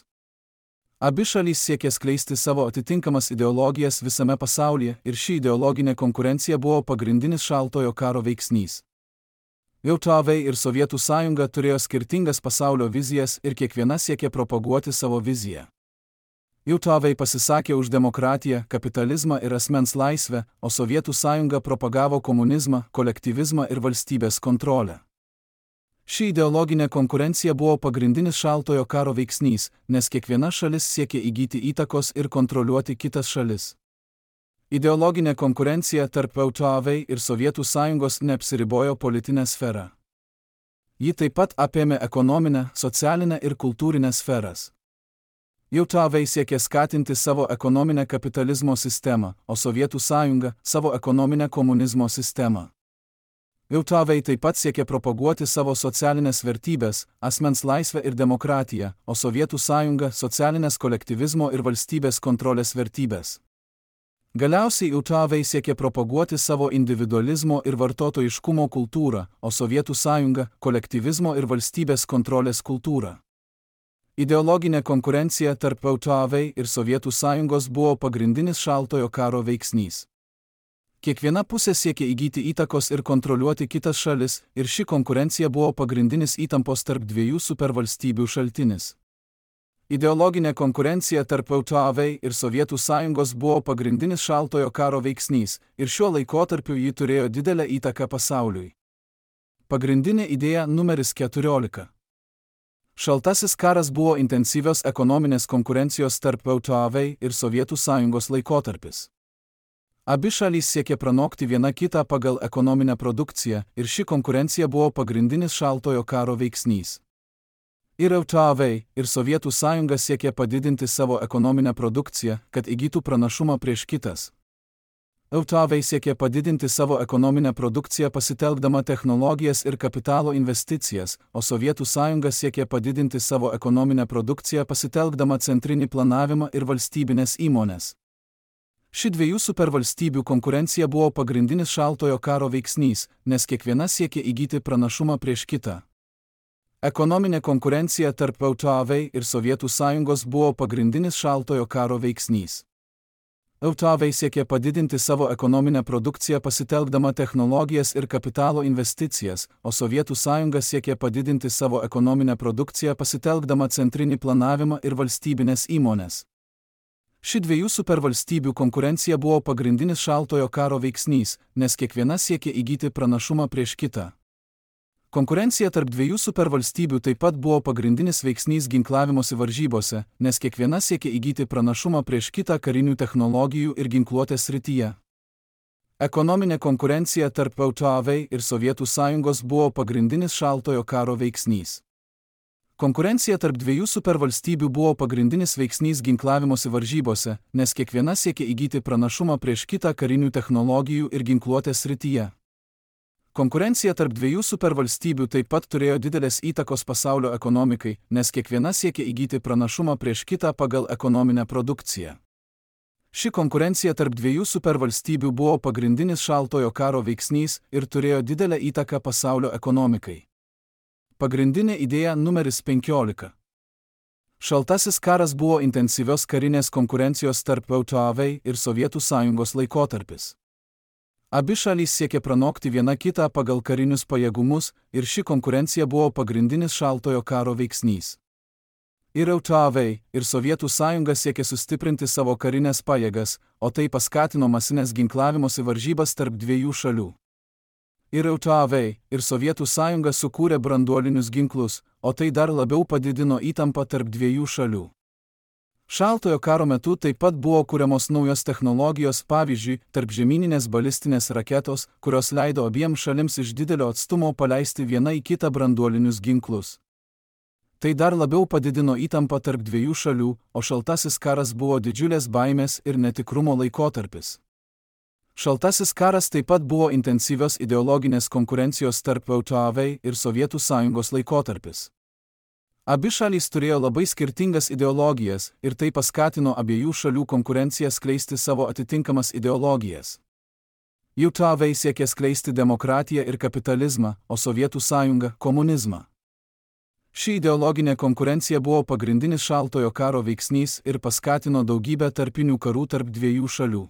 Abi šalys siekė skleisti savo atitinkamas ideologijas visame pasaulyje ir ši ideologinė konkurencija buvo pagrindinis šaltojo karo veiksnys. JAV ir Sovietų sąjunga turėjo skirtingas pasaulio vizijas ir kiekviena siekė propaguoti savo viziją. JAV pasisakė už demokratiją, kapitalizmą ir asmens laisvę, o Sovietų sąjunga propagavo komunizmą, kolektyvizmą ir valstybės kontrolę. Ši ideologinė konkurencija buvo pagrindinis šaltojo karo veiksnys, nes kiekviena šalis siekė įgyti įtakos ir kontroliuoti kitas šalis. Ideologinė konkurencija tarp JAV ir Sovietų sąjungos neapsiribojo politinę sferą. Ji taip pat apėmė ekonominę, socialinę ir kultūrinę sferas. JAV siekė skatinti savo ekonominę kapitalizmo sistemą, o Sovietų sąjunga savo ekonominę komunizmo sistemą. JAV taip pat siekė propaguoti savo socialinės vertybės, asmens laisvę ir demokratiją, o Sovietų sąjunga socialinės kolektyvizmo ir valstybės kontrolės vertybės. Galiausiai JAV siekė propaguoti savo individualizmo ir vartotojiškumo kultūrą, o Sovietų sąjunga kolektyvizmo ir valstybės kontrolės kultūrą. Ideologinė konkurencija tarp JAV ir Sovietų sąjungos buvo pagrindinis šaltojo karo veiksnys. Kiekviena pusė siekė įgyti įtakos ir kontroliuoti kitas šalis, ir ši konkurencija buvo pagrindinis įtampos tarp dviejų supervalstybių šaltinis. Ideologinė konkurencija tarp JAV ir Sovietų sąjungos buvo pagrindinis šaltojo karo veiksnys, ir šiuo laikotarpiu ji turėjo didelę įtaką pasauliui. Pagrindinė idėja numeris 14. Šaltasis karas buvo intensyvios ekonominės konkurencijos tarp JAV ir Sovietų sąjungos laikotarpis. Abi šalys siekė pranokti viena kitą pagal ekonominę produkciją, ir ši konkurencija buvo pagrindinis šaltojo karo veiksnys. Ir JAV, ir Sovietų sąjunga siekė padidinti savo ekonominę produkciją, kad įgytų pranašumą prieš kitas. JAV siekė padidinti savo ekonominę produkciją pasitelkdama technologijas ir kapitalo investicijas, o Sovietų sąjunga siekė padidinti savo ekonominę produkciją pasitelkdama centrinį planavimą ir valstybinės įmonės. Ši dviejų supervalstybių konkurencija buvo pagrindinis šaltojo karo veiksnys, nes kiekviena siekė įgyti pranašumą prieš kitą. Ekonominė konkurencija tarp JAV ir Sovietų sąjungos buvo pagrindinis šaltojo karo veiksnys. JAV siekė padidinti savo ekonominę produkciją pasitelkdama technologijas ir kapitalo investicijas, o Sovietų sąjunga siekė padidinti savo ekonominę produkciją pasitelkdama centrinį planavimą ir valstybinės įmonės. Ši dviejų supervalstybių konkurencija buvo pagrindinis šaltojo karo veiksnys, nes kiekviena siekė įgyti pranašumą prieš kitą. Konkurencija tarp dviejų supervalstybių taip pat buvo pagrindinis veiksnys ginklavimosi varžybose, nes kiekviena siekė įgyti pranašumą prieš kitą karinių technologijų ir ginkluotės srityje. Ekonominė konkurencija tarp JAV ir Sovietų sąjungos buvo pagrindinis šaltojo karo veiksnys. Konkurencija tarp dviejų supervalstybių buvo pagrindinis veiksnys ginklavimosi varžybose, nes kiekviena siekė įgyti pranašumą prieš kitą karinių technologijų ir ginkluotės srityje. Konkurencija tarp dviejų supervalstybių taip pat turėjo didelės įtakos pasaulio ekonomikai, nes kiekviena siekė įgyti pranašumą prieš kitą pagal ekonominę produkciją. Ši konkurencija tarp dviejų supervalstybių buvo pagrindinis šaltojo karo veiksnys ir turėjo didelę įtaką pasaulio ekonomikai. Pagrindinė idėja numeris 15. Šaltasis karas buvo intensyvios karinės konkurencijos tarp JAV ir Sovietų sąjungos laikotarpis. Abi šalys siekė pranokti viena kitą pagal karinius pajėgumus, ir ši konkurencija buvo pagrindinis šaltojo karo veiksnys. Ir JAV, ir Sovietų sąjunga siekė sustiprinti savo karinės pajėgas, o tai paskatino masinės ginklavimosi varžybas tarp dviejų šalių. Ir JAV, ir Sovietų sąjunga sukūrė branduolinius ginklus, o tai dar labiau padidino įtampą tarp dviejų šalių. Šaltojo karo metu taip pat buvo kuriamos naujos technologijos, pavyzdžiui, tarpžemyninės balistinės raketos, kurios leido abiem šalims iš didelio atstumo paleisti viena į kitą branduolinius ginklus. Tai dar labiau padidino įtampą tarp dviejų šalių, o šaltasis karas buvo didžiulės baimės ir netikrumo laikotarpis. Šaltasis karas taip pat buvo intensyvios ideologinės konkurencijos tarp JAV ir Sovietų sąjungos laikotarpis. Abi šalys turėjo labai skirtingas ideologijas, ir tai paskatino abiejų šalių konkurenciją skleisti savo atitinkamas ideologijas. JAV siekė skleisti demokratiją ir kapitalizmą, o Sovietų sąjunga – komunizmą. Ši ideologinė konkurencija buvo pagrindinis šaltojo karo veiksnys ir paskatino daugybę tarpinių karų tarp dviejų šalių.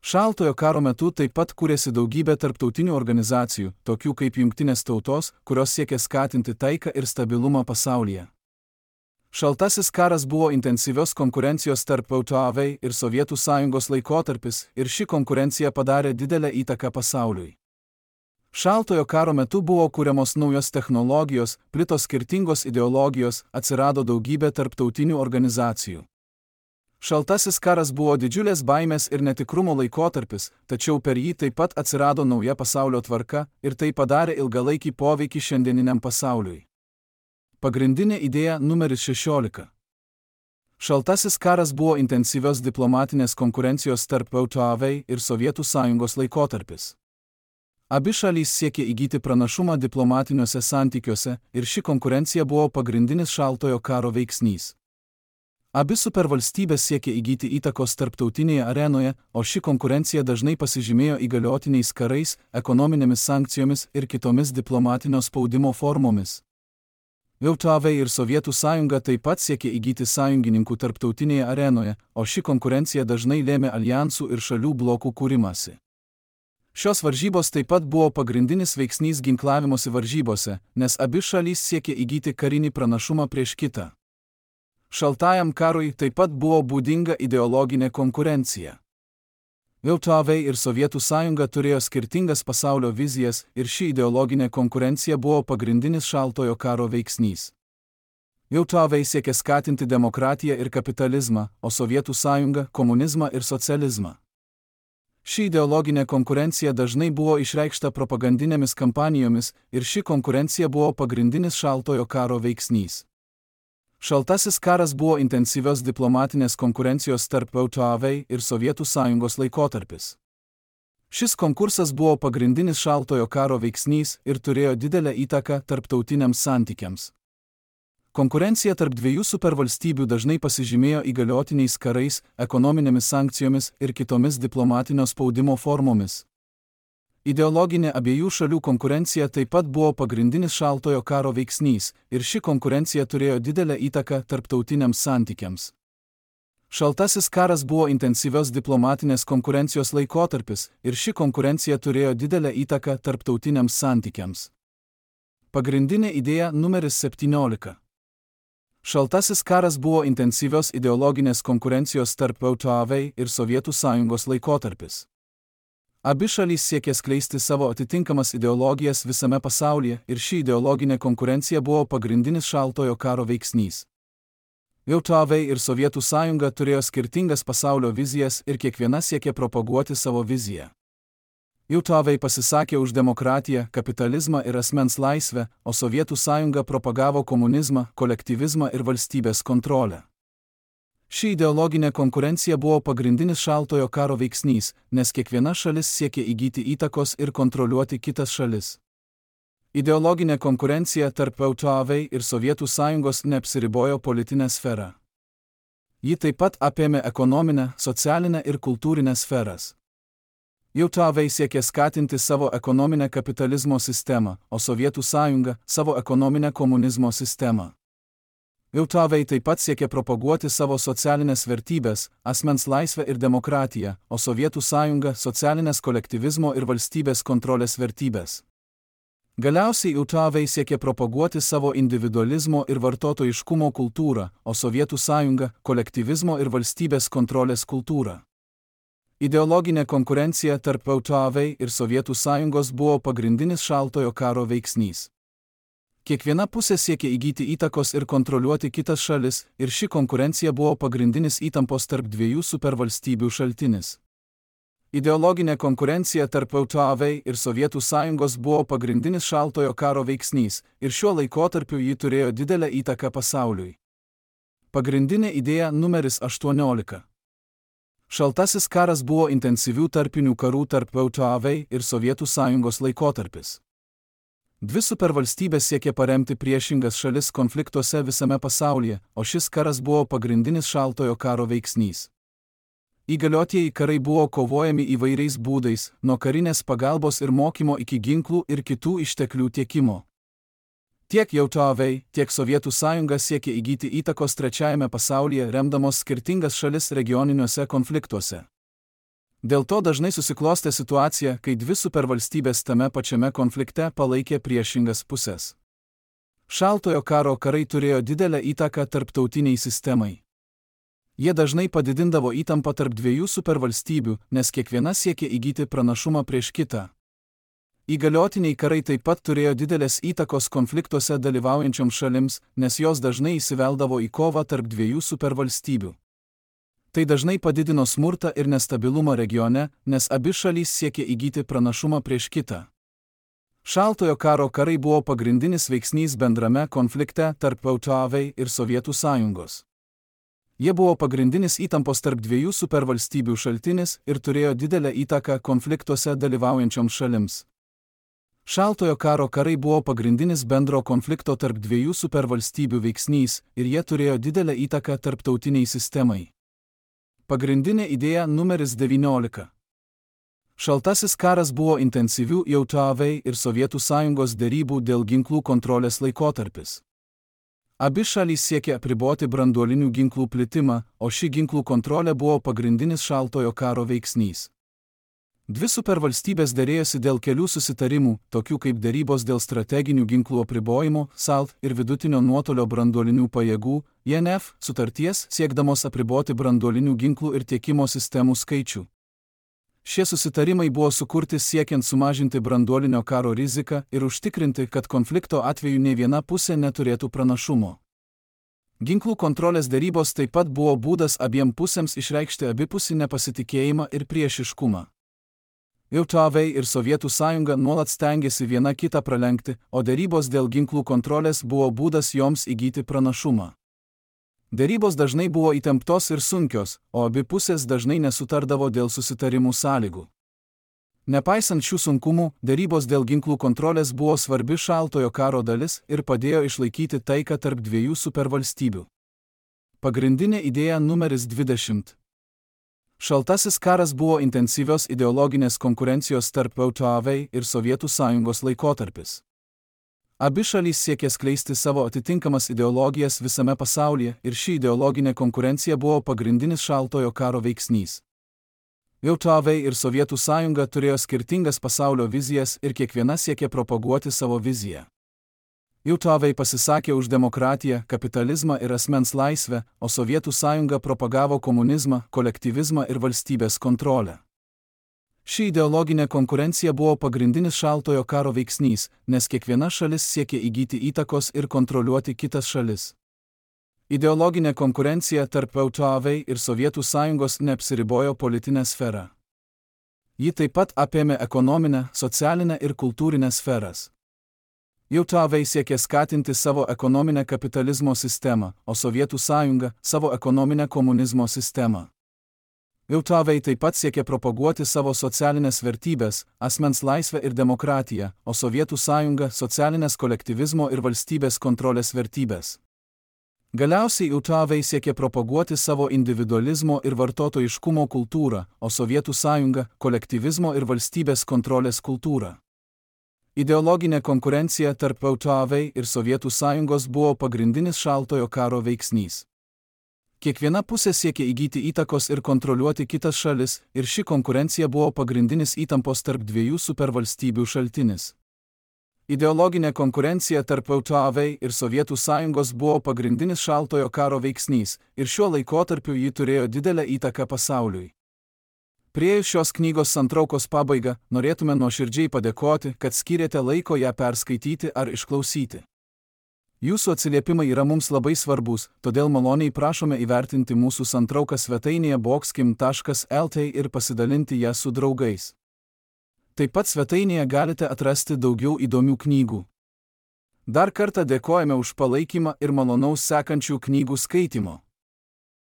Šaltojo karo metu taip pat kūrėsi daugybė tarptautinių organizacijų, tokių kaip Jungtinės tautos, kurios siekė skatinti taiką ir stabilumą pasaulyje. Šaltasis karas buvo intensyvios konkurencijos tarp JAV ir Sovietų sąjungos laikotarpis, ir ši konkurencija padarė didelę įtaką pasauliui. Šaltojo karo metu buvo kuriamos naujos technologijos, plito skirtingos ideologijos, atsirado daugybė tarptautinių organizacijų. Šaltasis karas buvo didžiulės baimės ir netikrumo laikotarpis, tačiau per jį taip pat atsirado nauja pasaulio tvarka ir tai padarė ilgalaikį poveikį šiandieniniam pasauliui. Pagrindinė idėja numeris 16. Šaltasis karas buvo intensyvios diplomatinės konkurencijos tarp JAV ir Sovietų Sąjungos laikotarpis. Abi šalys siekė įgyti pranašumą diplomatiniuose santykiuose ir ši konkurencija buvo pagrindinis šaltojo karo veiksnys. Abi supervalstybės siekė įgyti įtakos tarptautinėje arenoje, o ši konkurencija dažnai pasižymėjo įgaliotiniais karais, ekonominėmis sankcijomis ir kitomis diplomatinio spaudimo formomis. JAV ir Sovietų Sąjunga taip pat siekė įgyti sąjungininkų tarptautinėje arenoje, o ši konkurencija dažnai lėmė aljansų ir šalių blokų kūrimąsi. Šios varžybos taip pat buvo pagrindinis veiksnys ginklavimosi varžybose, nes abi šalys siekė įgyti karinį pranašumą prieš kitą. Šaltajam karui taip pat buvo būdinga ideologinė konkurencija. JAV ir Sovietų Sąjunga turėjo skirtingas pasaulio vizijas ir ši ideologinė konkurencija buvo pagrindinis šaltojo karo veiksnys. JAV siekė skatinti demokratiją ir kapitalizmą, o Sovietų Sąjunga – komunizmą ir socializmą. Ši ideologinė konkurencija dažnai buvo išreikšta propagandinėmis kampanijomis ir ši konkurencija buvo pagrindinis šaltojo karo veiksnys. Šaltasis karas buvo intensyvios diplomatinės konkurencijos tarp JAV ir Sovietų Sąjungos laikotarpis. Šis konkursas buvo pagrindinis šaltojo karo veiksnys ir turėjo didelę įtaką tarptautiniams santykiams. Konkurencija tarp dviejų supervalstybių dažnai pasižymėjo įgaliotiniais karais, ekonominėmis sankcijomis ir kitomis diplomatinio spaudimo formomis. Ideologinė abiejų šalių konkurencija taip pat buvo pagrindinis šaltojo karo veiksnys ir ši konkurencija turėjo didelę įtaką tarptautiniams santykiams. Šaltasis karas buvo intensyvios diplomatinės konkurencijos laikotarpis ir ši konkurencija turėjo didelę įtaką tarptautiniams santykiams. Pagrindinė idėja numeris 17. Šaltasis karas buvo intensyvios ideologinės konkurencijos tarp JAV ir Sovietų Sąjungos laikotarpis. Abi šalys siekė skleisti savo atitinkamas ideologijas visame pasaulyje ir ši ideologinė konkurencija buvo pagrindinis šaltojo karo veiksnys. JAV ir Sovietų Sąjunga turėjo skirtingas pasaulio vizijas ir kiekviena siekė propaguoti savo viziją. JAV pasisakė už demokratiją, kapitalizmą ir asmens laisvę, o Sovietų Sąjunga propagavo komunizmą, kolektyvizmą ir valstybės kontrolę. Ši ideologinė konkurencija buvo pagrindinis šaltojo karo veiksnys, nes kiekviena šalis siekė įgyti įtakos ir kontroliuoti kitas šalis. Ideologinė konkurencija tarp JAV ir Sovietų Sąjungos neapsiribojo politinę sferą. Ji taip pat apėmė ekonominę, socialinę ir kultūrinę sferas. JAV siekė skatinti savo ekonominę kapitalizmo sistemą, o Sovietų Sąjunga – savo ekonominę komunizmo sistemą. JAV taip pat siekė propaguoti savo socialinės vertybės, asmens laisvę ir demokratiją, o Sovietų Sąjunga – socialinės kolektyvizmo ir valstybės kontrolės vertybės. Galiausiai JAV siekė propaguoti savo individualizmo ir vartotojiškumo kultūrą, o Sovietų Sąjunga – kolektyvizmo ir valstybės kontrolės kultūrą. Ideologinė konkurencija tarp JAV ir Sovietų Sąjungos buvo pagrindinis šaltojo karo veiksnys. Kiekviena pusė siekė įgyti įtakos ir kontroliuoti kitas šalis, ir ši konkurencija buvo pagrindinis įtampos tarp dviejų supervalstybių šaltinis. Ideologinė konkurencija tarp JAV ir Sovietų Sąjungos buvo pagrindinis šaltojo karo veiksnys, ir šiuo laikotarpiu ji turėjo didelę įtaką pasauliui. Pagrindinė idėja numeris 18. Šaltasis karas buvo intensyvių tarpinių karų tarp JAV ir Sovietų Sąjungos laikotarpis. Dvi supervalstybės siekė paremti priešingas šalis konfliktuose visame pasaulyje, o šis karas buvo pagrindinis šaltojo karo veiksnys. Įgaliotieji karai buvo kovojami įvairiais būdais, nuo karinės pagalbos ir mokymo iki ginklų ir kitų išteklių tiekimo. Tiek JAV, tiek Sovietų Sąjunga siekė įgyti įtakos trečiajame pasaulyje, remdamos skirtingas šalis regioniniuose konfliktuose. Dėl to dažnai susiklostė situacija, kai dvi supervalstybės tame pačiame konflikte palaikė priešingas pusės. Šaltojo karo karai turėjo didelę įtaką tarptautiniai sistemai. Jie dažnai padidindavo įtampą tarp dviejų supervalstybių, nes kiekviena siekė įgyti pranašumą prieš kitą. Įgaliotiniai karai taip pat turėjo didelės įtakos konfliktuose dalyvaujančioms šalims, nes jos dažnai įsiveldavo į kovą tarp dviejų supervalstybių. Tai dažnai padidino smurtą ir nestabilumą regione, nes abi šalys siekė įgyti pranašumą prieš kitą. Šaltojo karo karai buvo pagrindinis veiksnys bendrame konflikte tarp VTV ir Sovietų sąjungos. Jie buvo pagrindinis įtampos tarp dviejų supervalstybių šaltinis ir turėjo didelę įtaką konfliktuose dalyvaujančioms šalims. Šaltojo karo karai buvo pagrindinis bendro konflikto tarp dviejų supervalstybių veiksnys ir jie turėjo didelę įtaką tarptautiniai sistemai. Pagrindinė idėja numeris 19. Šaltasis karas buvo intensyvių JAV ir Sovietų sąjungos derybų dėl ginklų kontrolės laikotarpis. Abi šalys siekė apriboti branduolinių ginklų plitimą, o ši ginklų kontrolė buvo pagrindinis šaltojo karo veiksnys. Dvi supervalstybės derėjosi dėl kelių susitarimų, tokių kaip derybos dėl strateginių ginklų apribojimo, SALT ir vidutinio nuotolio branduolinių pajėgų, INF, sutarties siekdamos apriboti branduolinių ginklų ir tiekimo sistemų skaičių. Šie susitarimai buvo sukurti siekiant sumažinti branduolinio karo riziką ir užtikrinti, kad konflikto atveju nei viena pusė neturėtų pranašumo. Ginklų kontrolės derybos taip pat buvo būdas abiem pusėms išreikšti abipusį nepasitikėjimą ir priešiškumą. JAV ir Sovietų sąjunga nuolat stengiasi viena kitą pralenkti, o derybos dėl ginklų kontrolės buvo būdas joms įgyti pranašumą. Derybos dažnai buvo įtemptos ir sunkios, o abi pusės dažnai nesutardavo dėl susitarimų sąlygų. Nepaisant šių sunkumų, derybos dėl ginklų kontrolės buvo svarbi šaltojo karo dalis ir padėjo išlaikyti taiką tarp dviejų supervalstybių. Pagrindinė idėja numeris 20. Šaltasis karas buvo intensyvios ideologinės konkurencijos tarp VTV ir Sovietų sąjungos laikotarpis. Abi šalys siekė skleisti savo atitinkamas ideologijas visame pasaulyje ir ši ideologinė konkurencija buvo pagrindinis šaltojo karo veiksnys. JAV ir Sovietų sąjunga turėjo skirtingas pasaulio vizijas ir kiekviena siekė propaguoti savo viziją. JAV pasisakė už demokratiją, kapitalizmą ir asmens laisvę, o Sovietų sąjunga propagavo komunizmą, kolektyvizmą ir valstybės kontrolę. Ši ideologinė konkurencija buvo pagrindinis šaltojo karo veiksnys, nes kiekviena šalis siekė įgyti įtakos ir kontroliuoti kitas šalis. Ideologinė konkurencija tarp VTV ir Sovietų sąjungos neapsiribojo politinę sferą. Ji taip pat apėmė ekonominę, socialinę ir kultūrinę sferas. JAV siekė skatinti savo ekonominę kapitalizmo sistemą, o Sovietų sąjunga savo ekonominę komunizmo sistemą. JAV taip pat siekė propaguoti savo socialinės vertybės, asmens laisvę ir demokratiją, o Sovietų sąjunga socialinės kolektyvizmo ir valstybės kontrolės vertybės. Galiausiai JAV siekė propaguoti savo individualizmo ir vartotojiškumo kultūrą, o Sovietų sąjunga kolektyvizmo ir valstybės kontrolės kultūrą. Ideologinė konkurencija tarp VTV ir Sovietų sąjungos buvo pagrindinis šaltojo karo veiksnys. Kiekviena pusė siekė įgyti įtakos ir kontroliuoti kitas šalis, ir ši konkurencija buvo pagrindinis įtampos tarp dviejų supervalstybių šaltinis. Ideologinė konkurencija tarp VTV ir Sovietų sąjungos buvo pagrindinis šaltojo karo veiksnys, ir šiuo laikotarpiu ji turėjo didelę įtaką pasauliui. Priėjus šios knygos santraukos pabaigą, norėtume nuoširdžiai padėkoti, kad skyrėte laiko ją perskaityti ar išklausyti. Jūsų atsiliepimai yra mums labai svarbus, todėl maloniai prašome įvertinti mūsų santrauką svetainėje boxkim.lt ir pasidalinti ją su draugais. Taip pat svetainėje galite atrasti daugiau įdomių knygų. Dar kartą dėkojame už palaikymą ir malonaus sekančių knygų skaitimo.